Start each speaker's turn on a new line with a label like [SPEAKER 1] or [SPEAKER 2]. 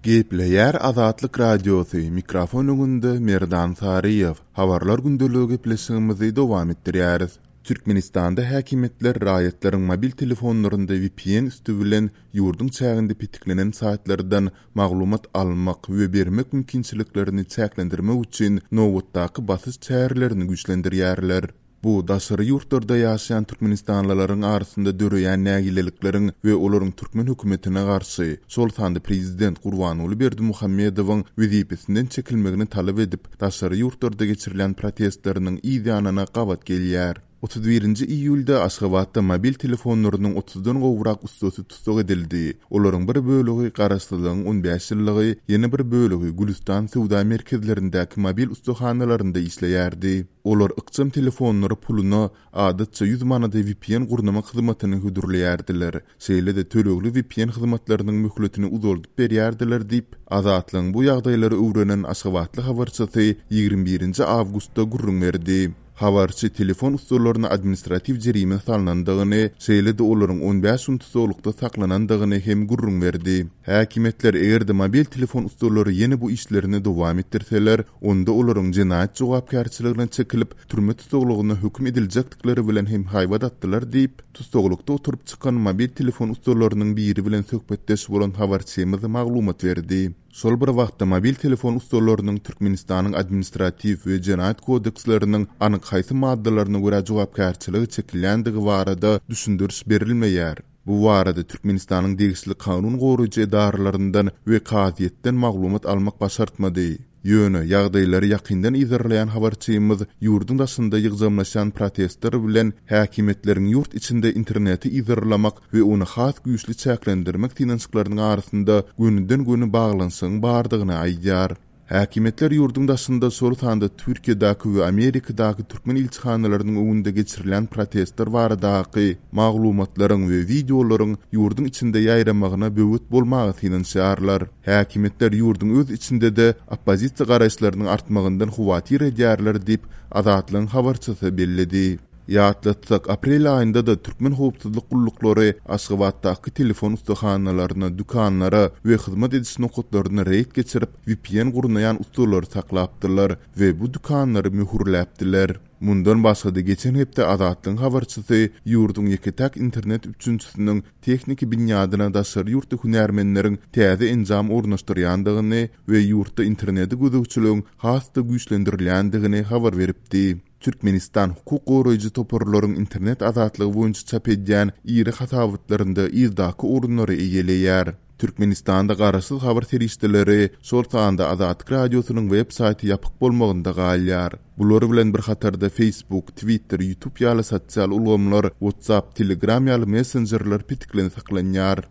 [SPEAKER 1] Gepleýär Azatlyk Radiosy, mikrofon öňünde Merdan Saryýew. Habarlar gündeligi gepleşigimizi dowam etdirýäris. Türkmenistanda häkimiýetler raýatlaryň mobil telefonlarynda vpn üsti bilen ýurduň çäginde petiklenen saýtlardan maglumat almak we bermek mümkinçiliklerini çäklendirmek üçin nobatdaky basyş çärelerini güýçlendirýärler. Bu daşary ýurtlarda ýaşaýan türkmenistanlylaryň arasynda döreýän nägilelikleriň we olaryň türkmen hökümetine garşy, şol sanda prezident Gurbanguly Berdimuhamedowyň wezipesinden çekilmegini talap edip, daşary ýurtlarda geçirilýän protestleriniň yz ýanyna gabat gelýär. 31-nji iýulda Aşgabatda mobil telefonlarynyň otuzdan gowrak ussasy tussag edildi. Olaryň bir bölegi Garaşsyzlygyň on bäş ýyllygy, ýene bir bölegi Gülüstan söwda merkezlerindäki mobil ussahanalarynda işleýärdi. Olar ykjam telefonlary puluna, adatça ýüz manada vpn gurnamak hyzmatyny hödürleýärdiler. Şeýle-de tölegli vpn hyzmatlarynyň möhletini uzaldyp berýärdiler diýip, Azatlygyň bu ýagdaýlary öwrenen aşgabatly habarçysy 21 nji awgustda gürrüň berdi. Habarçy telefon ussalaryna administratiw jerime salnandygyny, şeýle-de olaryň on bäş gün tussaglykda saklanandygyny hem gürrüň berdi. Häkimiýetler eger-de mobil telefon ussalary ýene bu işlerini dowam etdirseler, onda olaryň jenaýat jogapkärçiligine çekilip, türme tussaglygyna höküm ediljekdikleri bilen hem haýbat atdylar diýip, tussaglykda oturyp çykan mobil telefon ussalarynyň biri bilen söhbetdeş bolan habarçymyz maglumat berdi. Şol bir wagtda mobil telefon ussalarynyň Türkmenistanyň Administratiw we Jenaýat kodeksleriniň anyk haýsy maddalaryna görä jogapkärçilige çekilýändigi barada düşündiriş berilmeýär. Bu barada Türkmenistanyň degişli kanun goraýjy edaralaryndan we kazyýetden maglumat almak başartmady. Ýöne, ýagdaýlary ýakyndan yzarlaýan habarçymyz ýurduň daşynda ýygjamlaşýan protestler bilen häkimiýetleriň ýurt içinde interneti yzarlamak we ony has güýçli çäklendirmek synanyşyklarynyň arasynda gönüden-göni baglanyşygyň bardygyny aýdýar. Häkimiýetler ýurduň daşynda, şol sanda Türkiýedäki we Amerikadaky türkmen ilçihanalarynyň öňünde geçirilýän protestler baradaky maglumatlaryň we wideolaryň ýurduň içinde ýaýramagyna böwet bolmaga synanyşýarlar. Häkimiýetler ýurduň öz içinde-de oppozisiýa garaýyşlarynyň artmagyndan howatyr edýärler diýip, Azatlygyň habarçysy belledi. Ýatlatsak, aprel aýynda-da türkmen howpsuzlyk gulluklary Aşgabatdaky telefon ussahanalaryna, dükanlara we hyzmat ediş nokatlaryna reýd geçirip, vpn gurnaýan ussalary saklapdylar we bu dükanlary möhürläpdiler. Mundan başga-da, geçen hepde Azatlygyň habarçysy ýurduň ýeke-täk internet üpjünçisiniň tehniki binýadyna daşary ýurtly hünärmenleriň täze enjam ornaşdyrýandygyny we ýurtda internete gözegçiligiň has-da güýçlendirilýändigini habar beripdi. Türkmenistan hukuk goraýjy toparlaryň internet azatlygy boýunça çap edýän iri hasabatlarynda yzdaky orunlary eýeleýär. Türkmenistanda garaşsyz habar serişdeleri, şol sanda Azatlyk Radiosynyň web saýty ýapyk bolmagynda galýar. Bular bilen bir hatarda Facebook, Twitter, YouTube ýaly sosial ulgamlar, WhatsApp, Telegram ýaly messenjerler petiklenip saklanýar.